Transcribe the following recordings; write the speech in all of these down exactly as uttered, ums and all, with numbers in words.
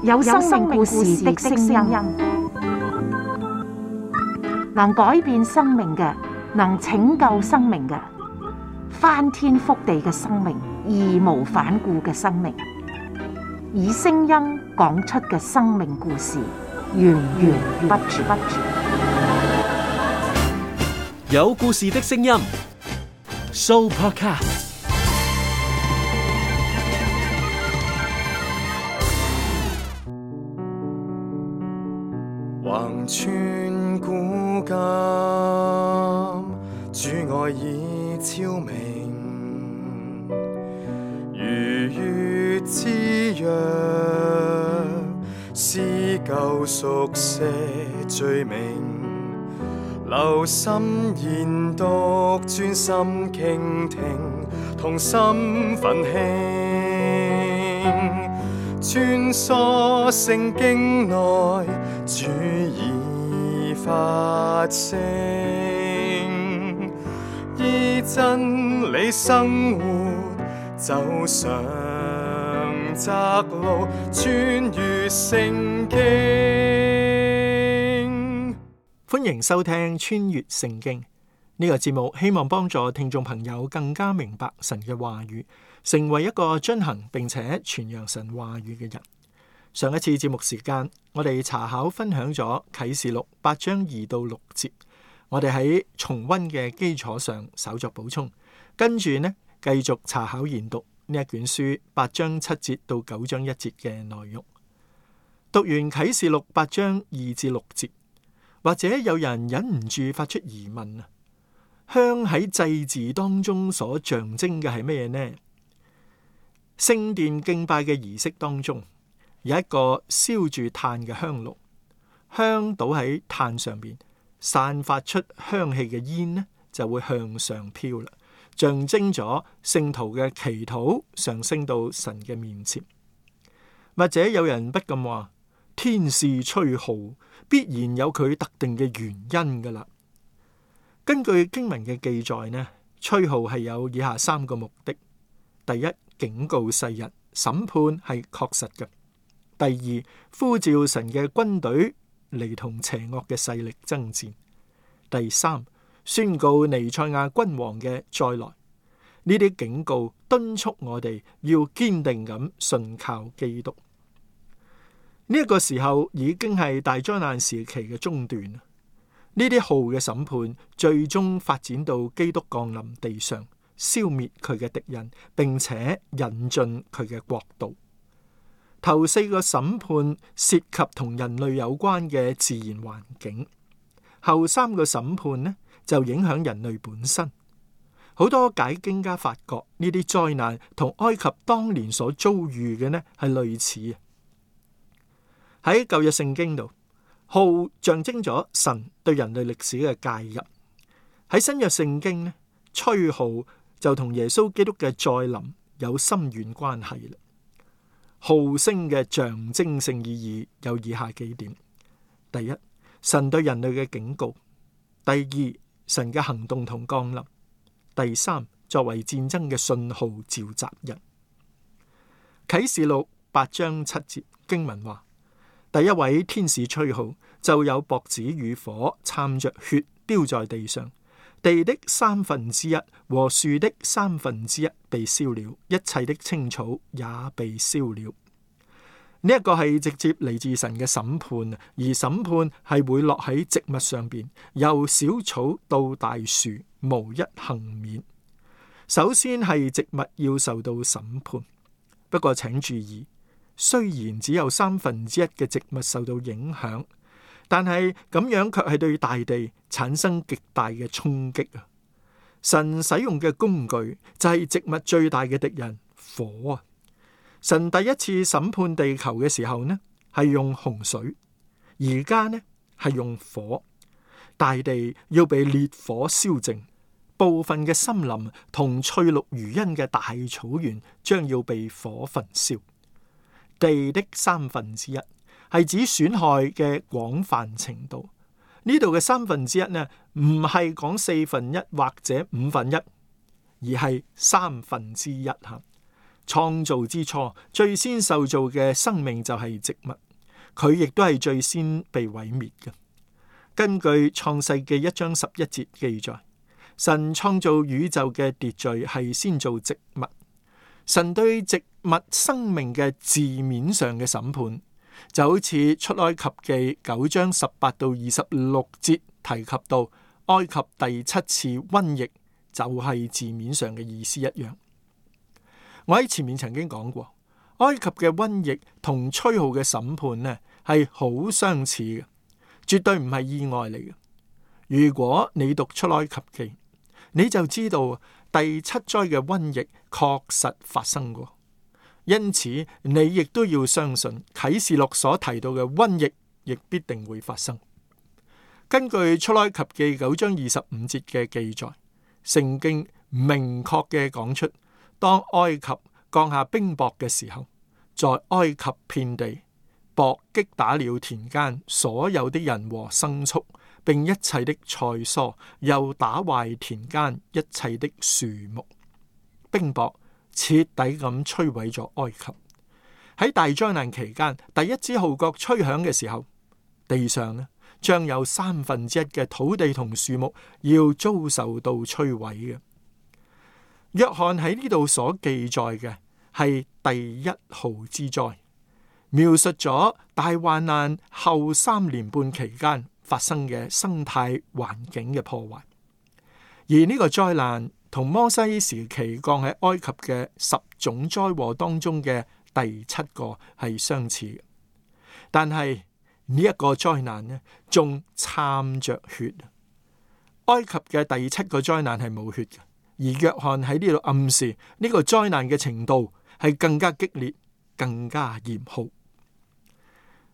有生命故事的聲音，能改變生命嘅，能拯救生命嘅，翻天覆地嘅生命，義無反顧嘅生命，以聲音講出嘅生命故事，源源不絕。有故事的聲音 ，Sooopodcast。橫穿古今，主愛已超明，如月之約，撕舊熟寫罪名，留心研讀，專心傾聽，同心奮興，穿梭聖經內，主已發聲，依真理生活，走上窄路，穿越聖經。歡迎收聽穿越聖經呢個節目，希望幫助聽眾朋友更加明白神嘅話語，成為一個遵行並且傳揚神話語嘅人。上一次節目時間，我哋查考分享咗啟示錄八章二到六節，我哋喺重溫嘅基礎上稍作補充，跟住呢繼續查考研讀呢一卷書八章七節到九章一節嘅內容。讀完啟示錄八章二至六節，或者有人忍唔住發出疑問啊，香喺祭祀當中所象徵嘅係咩呢？聖殿敬拜嘅儀式當中，有一個燒住炭嘅香爐，香倒喺炭上邊，散發出香氣嘅煙呢，就會向上飄啦，象徵咗聖徒嘅祈禱上升到神嘅面前。或者有人不禁話，天使吹號必然有佢特定嘅原因噶啦。根據經文嘅記載呢，吹號係有以下三個目的：第一，警告世人，審判係確實嘅；第二，呼召神嘅軍隊嚟同邪惡嘅勢力爭戰；第三，宣告彌賽亞君王嘅再來。呢啲警告敦促我哋要堅定咁信靠基督。呢、這、一個時候已經係大災難時期嘅中段。呢啲號嘅審判最終發展到基督降臨地上，消滅佢嘅敵人，並且引進佢嘅國度。頭四個審判涉及同人類有關嘅自然環境，後三個審判呢就影響人類本身。好多解經家發覺呢啲災難同埃及當年所遭遇嘅呢係類似。喺舊約聖經度，號象徵咗神對人類歷史嘅介入。喺新約聖經呢，吹號就同耶穌基督嘅再臨有深遠關係啦。號聲嘅象徵性意義有以下幾點：第一，神對人類嘅警告；第二，神嘅行動同降臨；第三，作為戰爭嘅信號召集人。啟示錄八章七節經文話，第一位天使吹號，就有雹子與火摻着血丟在地上，地的三分之一和樹的三分之一被燒了，一切的青草也被燒了。呢、這、一個係直接嚟自神嘅審判，而審判係會落喺植物上邊，由小草到大樹，無一幸免。首先係植物要受到審判，不過請注意，雖然只有三分之一嘅植物受到影響，但係咁樣卻係對大地產生極大嘅衝擊啊！神使用嘅工具就係植物最大嘅敵人火啊！神第一次審判地球嘅時候呢，係用洪水，而家呢係用火，大地要被烈火燒淨，部分嘅森林同翠綠如茵嘅大草原將要被火焚燒。地的三分之一係指損害嘅廣泛程度。呢度嘅三分之一呢，唔係講四分一或者五分一，而係三分之一吓。創造之初，最先受造嘅生命就係植物，佢亦都係最先被毀滅嘅。根據創世記一章十一節記載，神創造宇宙嘅秩序係先造植物。神對植物生命嘅字面上嘅審判，就好似出埃及記九章十八到二十六節提及到埃及第七次瘟疫，就係字面上嘅意思一樣。我喺前面曾經講過，埃及嘅瘟疫同吹號嘅審判呢係好相似嘅，絕對唔係意外嚟嘅。如果你讀出埃及記，你就知道第七災嘅瘟疫確實發生過，因此你亦都要相信啟示錄所提到嘅瘟疫亦必定會發生。根據出埃及記九章二十五節嘅記載，聖經明確嘅講出，當埃及降下冰雹嘅時候，在埃及遍地，雹擊打了田間所有的人和牲畜，並一切的菜蔬，又打壞田間一切的樹木。冰雹徹底咁摧毀咗埃及。喺大災難期間，第一支號角吹響嘅時候，地上呢將有三分之一嘅土地同樹木要遭受到摧毀嘅。約翰喺呢度所記載嘅係第一號之災，描述咗大患難後三年半期間發生嘅生態環境嘅破壞。而呢個災難同摩西時期降喺埃及嘅十種災禍當中嘅第七個係相似嘅，但係呢一個災難呢，仲摻着血。埃及嘅第七個災難係冇血嘅。而約翰喺呢度暗示呢個災難嘅程度係更加激烈、更加嚴酷。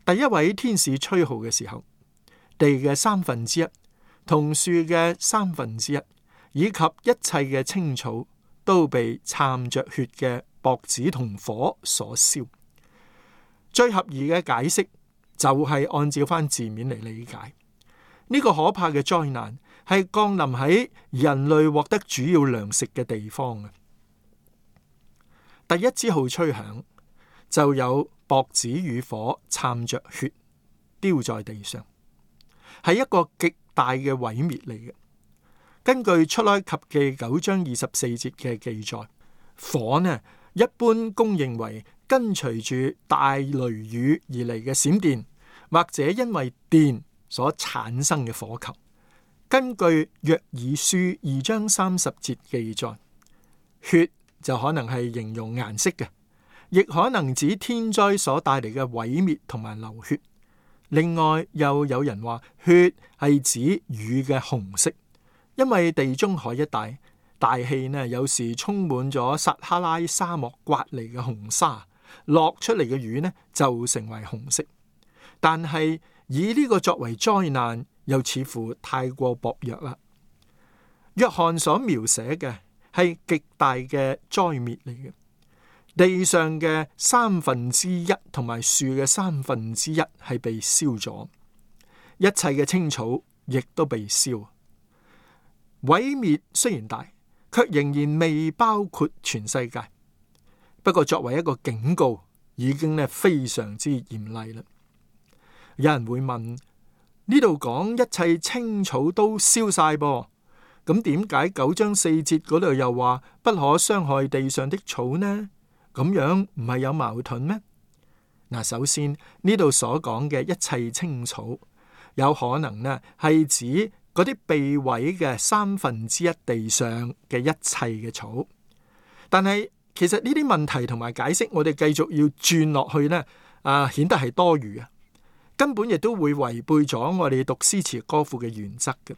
第一位天使吹號嘅時候，地嘅三分之一同樹嘅三分之一，以及一切嘅青草都被摻着血嘅雹子同火所燒。最合宜嘅解釋就係按照翻字面嚟理解，呢、這個可怕嘅災難係降臨喺人類獲得主要糧食嘅地方嘅。第一支號吹響，就有雹子與火摻着血丟在地上，係一個極大嘅毀滅嚟嘅。根據出埃及記九章二十四節嘅記載，火呢一般公認為跟隨住大雷雨而嚟嘅閃電，或者因為電所產生嘅火球。根據約珥書二章三十節記載，血就可能係形容顏色嘅，亦可能指天災所帶嚟嘅毀滅同埋流血。另外又有人話血係指雨嘅紅色，因為地中海一帶大氣呢有時充滿咗撒哈拉沙漠刮嚟嘅紅沙，落出嚟嘅雨呢就成為紅色。但係以呢個作為災難，又似乎太過薄弱啦。約翰所描寫嘅係極大嘅災滅嚟嘅，地上嘅三分之一同埋樹嘅三分之一係被燒咗，一切嘅青草亦都被燒。毀滅雖然大，卻仍然未包括全世界。不過作為一個警告，已經咧非常之嚴厲啦。有人會問，呢度講一切青草都燒晒噃，咁點解九章四節嗰度又話不可傷害地上的草呢？咁樣唔係有矛盾咩？嗱，首先呢度所講嘅一切青草，有可能呢係指嗰啲被毀嘅三分之一地上嘅一切嘅草。但係其實呢啲問題同埋解釋，我哋繼續要轉落去呢，啊，顯得係多餘啊！根本亦都會違背咗我哋讀詩詞歌賦嘅原則嘅。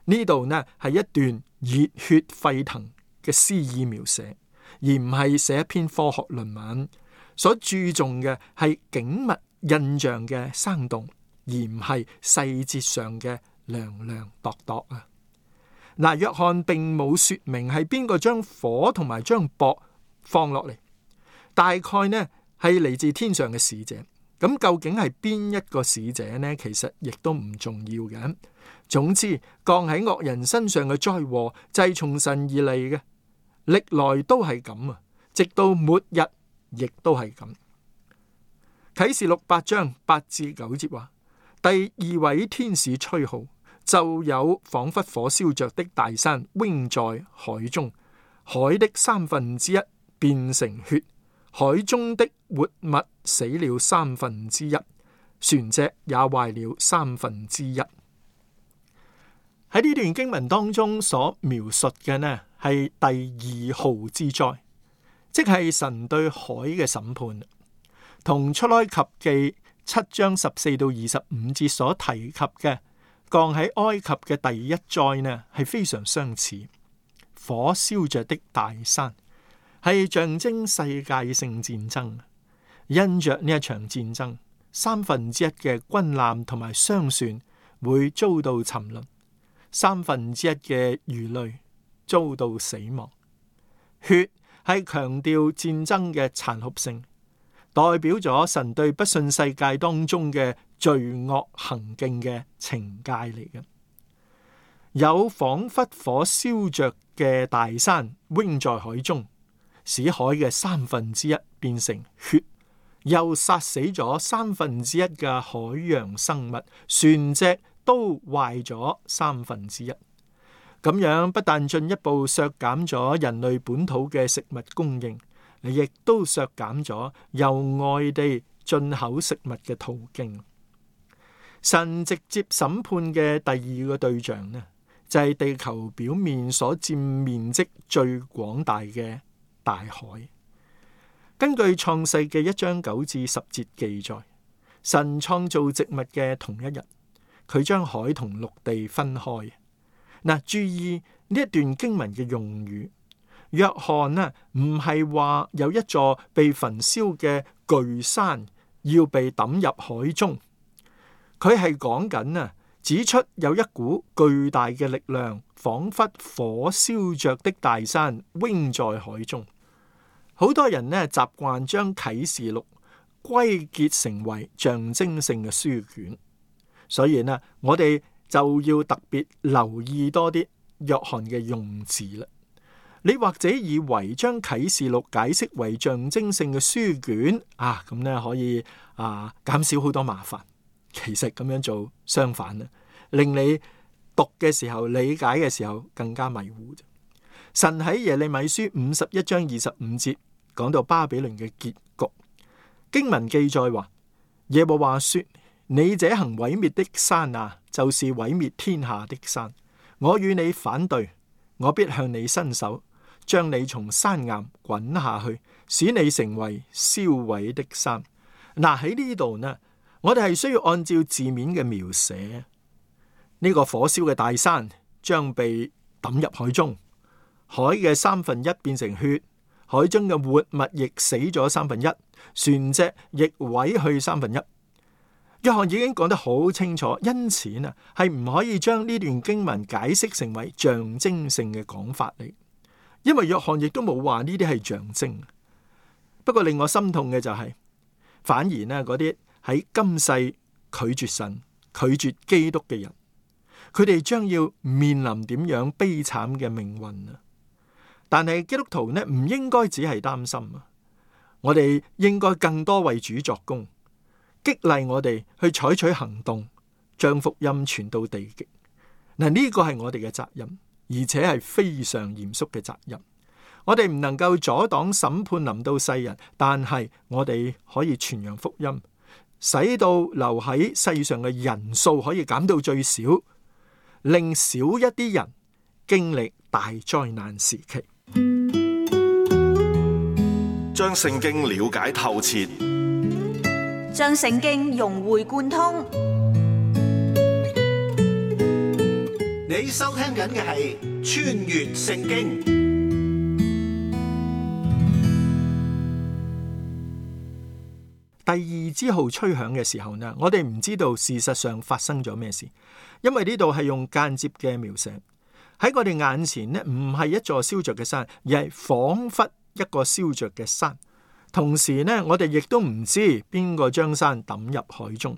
呢度呢係一段熱血沸騰嘅詩意描寫，而唔係寫一篇科學論文。所注重嘅係景物印象嘅生動，而唔係細節上嘅量量度度啊。嗱，約翰並冇說明係邊個將火同埋將雹放落嚟，大概呢係嚟自天上嘅使者。咁究竟係邊一個使者呢？其實亦都唔重要嘅。總之，降喺惡人身上嘅災禍就係從神而嚟嘅，歷來都係咁啊。直到末日亦都係咁。啟示錄八章八至九節話，第二位天使吹號，就有仿佛火燒着的大山扔在海中，海的三分之一變成血，海中的活物死了三分之一，船隻也壞了三分之一。喺呢段經文當中所描述嘅呢，係第二號之災，即係神對海嘅審判，同出埃及記七章十四到二十五節所提及嘅降喺埃及嘅第一災呢，係非常相似。火燒着的大山係象徵世界性戰爭，因着呢一場戰爭，三分之一嘅軍艦同埋商船會遭到沉淪，三分之一嘅魚類遭到死亡。血係強調戰爭嘅殘酷性，代表咗神對不信世界當中嘅罪惡行徑嘅懲戒嚟嘅。有仿佛火燒着嘅大山扔在海中，使海嘅三分之一變成血，又殺死咗三分之一嘅海洋生物，船隻都壞咗三分之一。咁樣不但進一步削減咗人類本土嘅食物供應，亦都削減咗由外地進口食物嘅途徑。神直接審判嘅第二個對象呢，就係地球表面所佔面積最廣大嘅大海。根據創世記一章九至十節記載，神創造植物嘅同一日，佢將海同陸地分開。嗱，注意呢一段經文嘅用語，約翰呢唔係話有一座被焚燒嘅巨山要被抌入海中，佢係講緊啊，指出有一股巨大嘅力量，仿佛火燒着的大山扔在海中。好多人呢習慣將啟示錄歸結成為象徵性嘅書卷，所以呢我哋就要特別留意多啲約翰嘅用字啦。你或者以為將啟示錄解釋為象徵性嘅書卷啊，咁呢可以啊減少好多麻煩。其實咁樣做相反啦，令你讀嘅時候、理解嘅時候更加迷糊。神喺耶利米書五十一章二十五節講到巴比倫嘅結局，經文記載話，耶和華說：你這行毀滅的山啊，就是毀滅天下的山。我與你反對，我必向你伸手，將你從山岩滾下去，使你成為燒毀的山。嗱，喺呢度呢，我哋係需要按照字面嘅描寫，呢個火燒嘅大山將被抌入海中，海嘅三分一變成血，海中嘅活物亦死咗三分一，船隻亦毀去三分一。約翰已經講得好清楚，因此啊，係唔可以將呢段經文解釋成為象徵性嘅講法嚟，因為約翰亦都冇話呢啲係象徵。不過令我心痛嘅就係、是，反而呢嗰啲喺今世拒絕神、拒絕基督嘅人，佢哋將要面臨點樣悲慘嘅命運啊！但係基督徒呢，唔應該只係擔心啊，我哋應該更多為主作工。激勵我哋去採取行動，將福音傳到地極。嗱，呢個係我哋嘅責任，而且係非常嚴肅嘅責任。我哋唔能夠阻擋審判臨到世人，但係我哋可以傳揚福音，使到留喺世上嘅人數可以減到最少，令少一啲人經歷大災難時期。將聖經了解透徹，將聖經融會貫通。你收聽緊嘅係《穿越聖經》。第二支號吹響嘅時候呢，我哋唔知道事實上發生咗咩事，因為呢度係用間接嘅描寫。喺我哋眼前呢，唔係一座燒着嘅山，而係仿佛一個燒着嘅山。同時呢，我哋亦都唔知邊個將山抌入海中。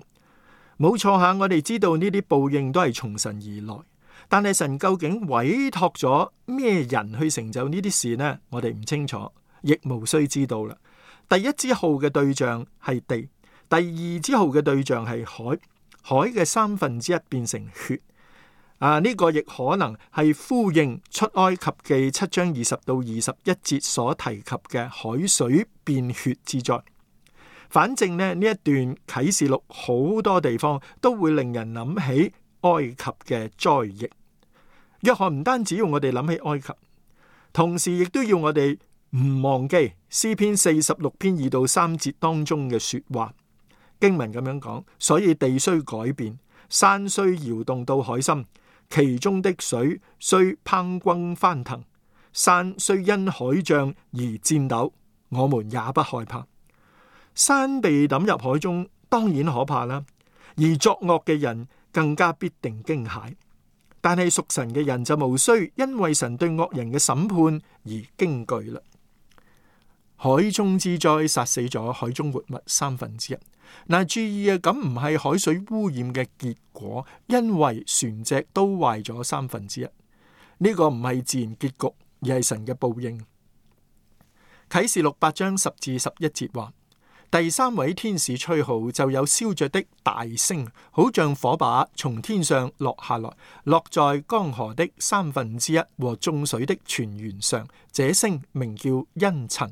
冇錯下，我哋知道呢啲報應都係從神而來，但係神究竟委託咗咩人去成就呢啲事呢？我哋唔清楚，亦無需知道啦。第一支號嘅對象係地，第二支號嘅對象係海，海嘅三分之一變成血。啊，呢、這個亦可能係呼應出埃及記七章二十到二十一節所提及嘅海水變血之災。反正呢，呢一段啟示錄好多地方都會令人諗起埃及嘅災疫。約翰唔單止要我哋諗起埃及，同時亦都要我哋唔忘記詩篇四十六篇二到三節當中嘅說話。經文咁樣講，所以地雖改變，山雖搖動到海心，其中的水雖匉訇翻騰，山雖因海漲而顫抖，我們也不害怕。山被抌入海中，當然可怕啦，而作惡嘅人更加必定驚駭。但係屬神嘅人就無需因為神對惡人嘅審判而驚懼啦。海中之災殺死咗海中活物三分之一。嗱，注意啊，咁唔係海水污染嘅結果，因為船隻都壞咗三分之一。呢個唔係自然結局，而係神嘅報應。啟示錄八章十至十一節話，第三位天使吹號，就有燒着的大星，好像火把從天上落下來，落在江河的三分之一和眾水的泉源上。這星名叫茵蔯，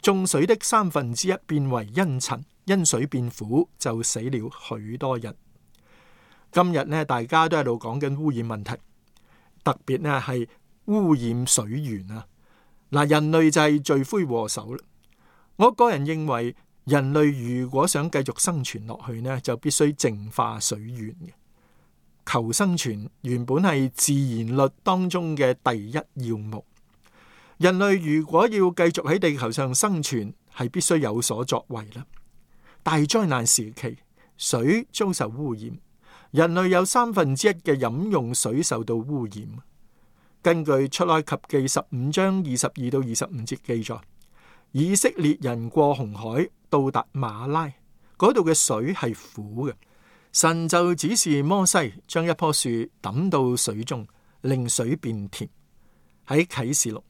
眾水的三分之一變為茵蔯，因水變苦，就死了許多人。今日呢，大家都喺度講緊污染問題，特別呢係污染水源啊！嗱，人類就係罪魁禍首啦。我個人認為，人類如果想繼續生存落去呢，就必須淨化水源嘅。求生存原本係自然律當中嘅第一要務。人類如果要繼續喺地球上生存，係必須有所作為啦。大災難時期，水遭受污染，人類有三分之一嘅飲用水受到污染。根據出埃及記十五章二十二到二十五節記載，以色列人過紅海到達馬拉，嗰度嘅水係苦嘅，神就指示摩西將一棵樹抌到水中，令水變甜。喺啟示錄，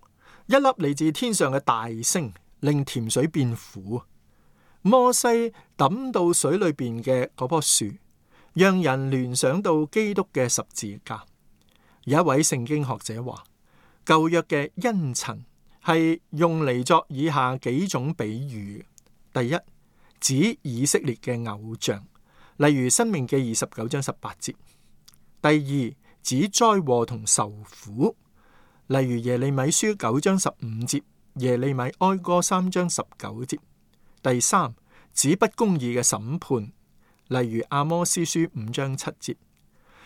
一粒嚟自天上嘅大星令甜水變苦。摩西抌到水裏邊嘅嗰棵樹，讓人聯想到基督嘅十字架。有一位聖經學者話，舊約嘅茵蔯係用嚟作以下幾種比喻。第一，指以色列嘅偶像，例如申命記二十九章十八節。第二，指災禍同受苦，例如耶利米書九章十五節，耶利米哀歌三章十九節。第三，指不公義嘅審判，例如阿摩司書五章七節。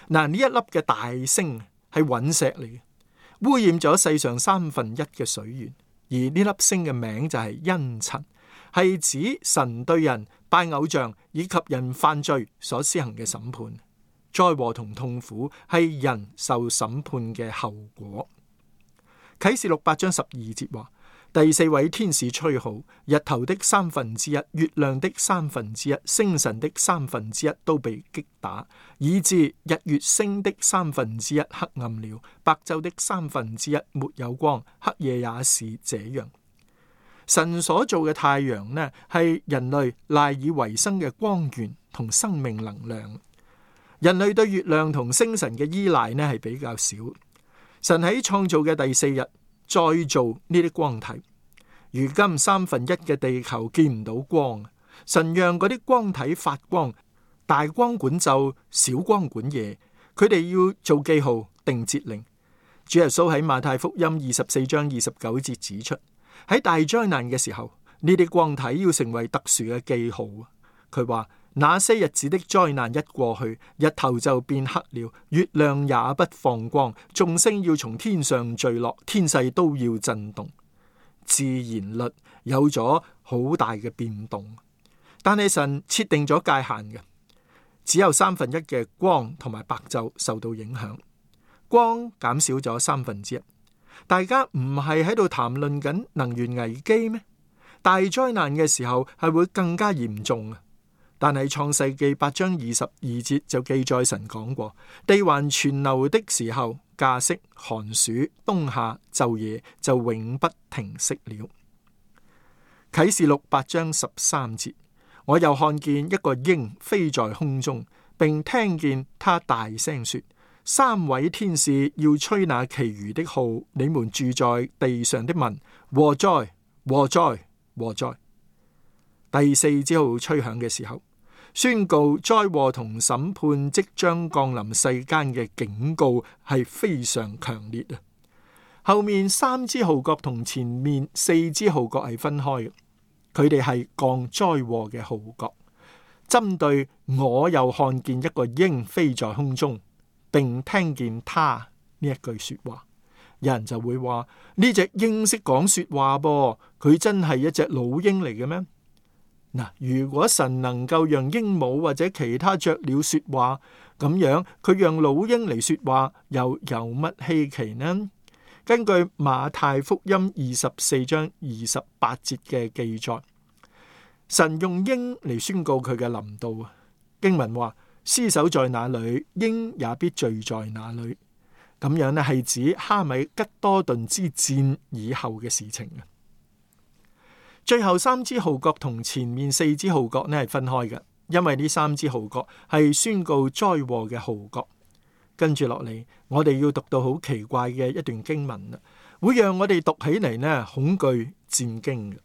嗱，呢一粒嘅大星係隕石嚟嘅，污染咗世上三分一嘅水源，而呢粒星嘅名就係茵蔯，係指神對人拜偶像以及人犯罪所施行嘅審判。災禍同痛苦係人受審判嘅後果。啟示錄八章十二節話，第四位天使吹號，日頭的三分之一、月亮的三分之一、星辰的三分之一都被擊打，以致日月星的三分之一黑暗了，白晝的三分之一沒有光，黑夜也是這樣。神所做嘅太陽呢，係人類賴以為生嘅光源同生命能量。人類對月亮同星辰嘅依賴呢，係比較少。神喺創造嘅第四日再造呢啲光體，如今三分一嘅地球見唔到光，神讓嗰啲光體發光，大光管晝，小光管夜，佢哋要做記號定節令。主耶穌喺馬太福音二十四章二十九節指出，喺大災難嘅時候，呢啲光體要成為特殊嘅記號。佢話，那些日子的災難一過去，日頭就變黑了，月亮也不放光，眾星要從天上墜落，天勢都要震動。自然律有咗好大嘅變動，但係神設定咗界限嘅，只有三分一嘅光同埋白晝受到影響，光減少咗三分之一。大家唔係喺度談論緊能源危機咩？大災難嘅時候係會更加嚴重啊！但係創世記八章二十二節就記載神講過，地還存留的時候，稼穡、寒暑、冬夏、晝夜就永不停息了。啟示錄八章十三節，我又看見一個鷹飛在空中，並聽見他大聲說：三位天使要吹那其餘的號，你們住在地上的民，禍哉禍哉禍哉！第四支號吹響嘅時候，宣告災禍同審判即將降臨世間嘅警告係非常強烈啊！後面三支號角同前面四支號角係分開嘅，佢哋係降災禍嘅號角，針對我又看見一個鷹飛在空中，並聽見他呢一句說話。有人就會話，呢隻鷹識講說話噃，佢真係一隻老鷹嚟嘅咩？嗱，如果神能夠讓鸚鵡或者其他雀鳥說話，咁樣佢讓老鷹嚟說話，又有乜稀奇呢？根據馬太福音二十四章二十八節嘅記載，神用鷹嚟宣告佢嘅臨到啊！經文話：屍首在哪裏，鷹也必聚在哪裏。咁樣呢係指哈米吉多頓之戰以後嘅事情啊！最後三支號角同前面四支號角呢係分開嘅，因為呢三支號角係宣告災禍嘅號角。跟住落嚟，我哋要讀到好奇怪嘅一段經文啦，會讓我哋讀起嚟呢恐懼戰驚嘅。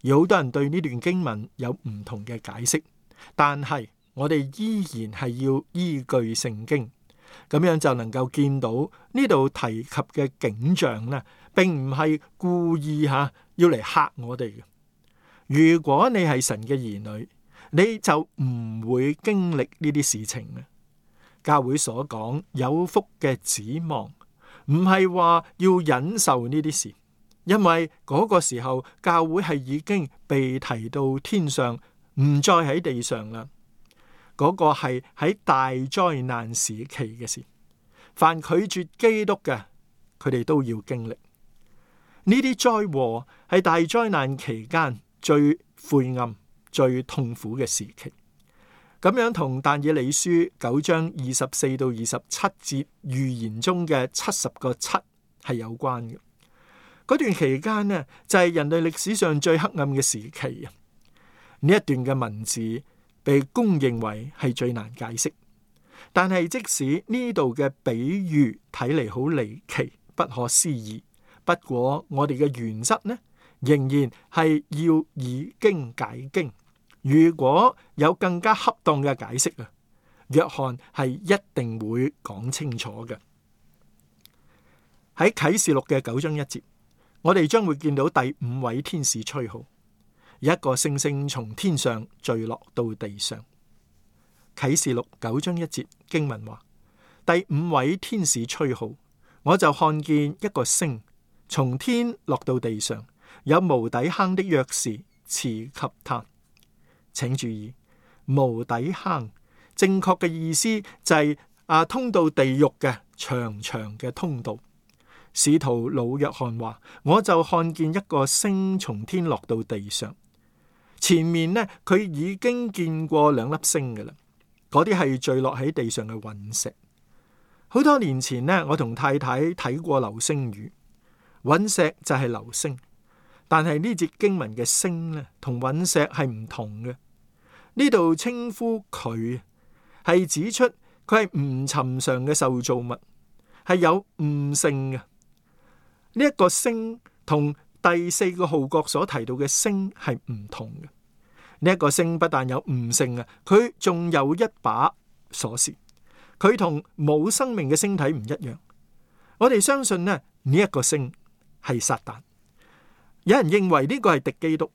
有好多人對呢段經文有唔同嘅解釋，但係我哋依然係要依據聖經，咁樣就能夠見到呢度提及嘅景象呢，並唔係故意吓要嚟嚇我哋嘅。如果你係神嘅兒女，你就唔會經歷呢啲事情嘅。教會所講有福嘅指望，唔係話要忍受呢啲事，因為嗰個時候教會係已經被提到天上，唔再喺地上啦。嗰個係喺大災難時期嘅事，凡拒絕基督嘅，佢哋都要經歷呢啲災禍，係大災難期間最晦暗、最痛苦嘅時期。咁樣同但以理書九章二十四到二十七節預言中嘅七十個七係有關嘅。嗰段期間呢，就係人類歷史上最黑暗嘅時期啊！呢一段嘅文字被公認為係最難解釋，但係即使呢度嘅比喻睇嚟好離奇、不可思議，不過我哋嘅原則呢，仍然係要以經解經。如果有更加恰當嘅解釋啊，約翰係一定會講清楚嘅。喺啟示錄嘅九章一節，我哋將會見到第五位天使吹號，一個星星從天上墜落到地上。啟示錄九章一節經文話：第五位天使吹號，我就看見一個星從天落到地上，有無底坑的鑰匙賜給他。請注意，無底坑正確嘅意思就係、是、啊通到地獄嘅長長嘅通道。使徒老約翰話：我就看見一個星從天落到地上，前面呢，佢已經見過兩粒星嘅啦，嗰啲係墜落喺地上嘅隕石。好多年前呢，我同太太睇過流星雨，隕石就係流星。但係呢節經文嘅星咧，同隕石係唔同嘅。呢度稱呼佢係指出佢係唔尋常嘅受造物，係有悟性嘅。呢、這、一個星同第四個號角所提到嘅星係唔同嘅。呢、這、一個星不但有悟性啊，佢仲有一把鎖匙。佢同冇生命嘅星體唔一樣。我哋相信咧，呢、這、一個星係撒旦。有人認為呢個係敵基督，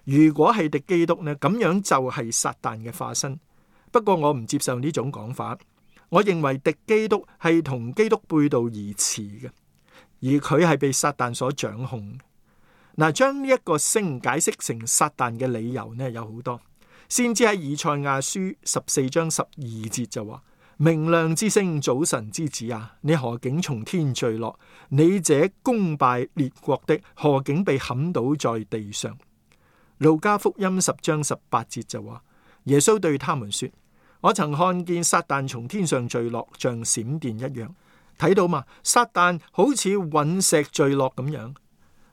如果係敵基督呢，咁樣就係撒旦嘅化身。不過我唔接受呢種講法，我認為敵基督係同基督背道而馳嘅，而佢係被撒旦所掌控。嗱，將呢一個星解釋成撒旦嘅理由呢，有好多。先知喺以賽亞書十四章十二節就話：明亮之星，早晨之子啊，你何竟從天墜落？你這攻敗列國的，何竟被砍倒在地上？路加福音十章十八節就話：耶穌對他們說：我曾看見撒旦從天上墜落，像閃電一樣。睇到嘛？撒旦好似隕石墜落咁樣。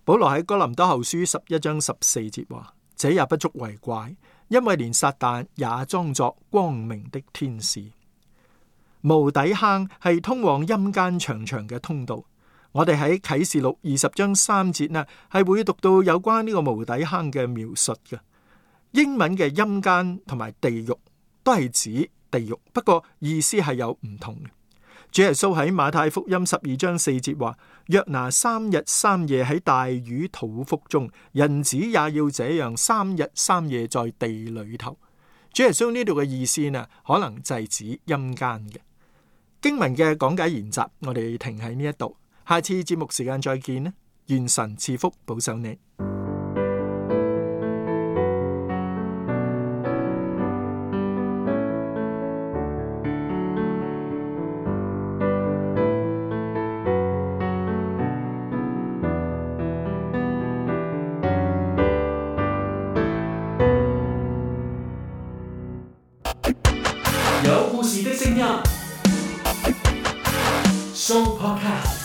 保羅喺哥林多後書十一章十四節話：這也不足為怪，因為連撒旦也裝作光明的天使。無底坑係通往陰間長長嘅通道。我哋喺啟示錄二十章三節呢，係會讀到有關呢個無底坑嘅描述嘅。英文嘅陰間同埋地獄都係指地獄，不過意思係有唔同嘅。主耶穌喺馬太福音十二章四節話：約拿三日三夜喺大魚肚腹中，人子也要這樣三日三夜在地裏頭。主耶穌呢度嘅意思呢，可能就係指陰間嘅。經文嘅講解研習，我哋停喺呢一度，下次節目時間再見啦！願神賜福保守你。有故事的聲音，Show Podcast。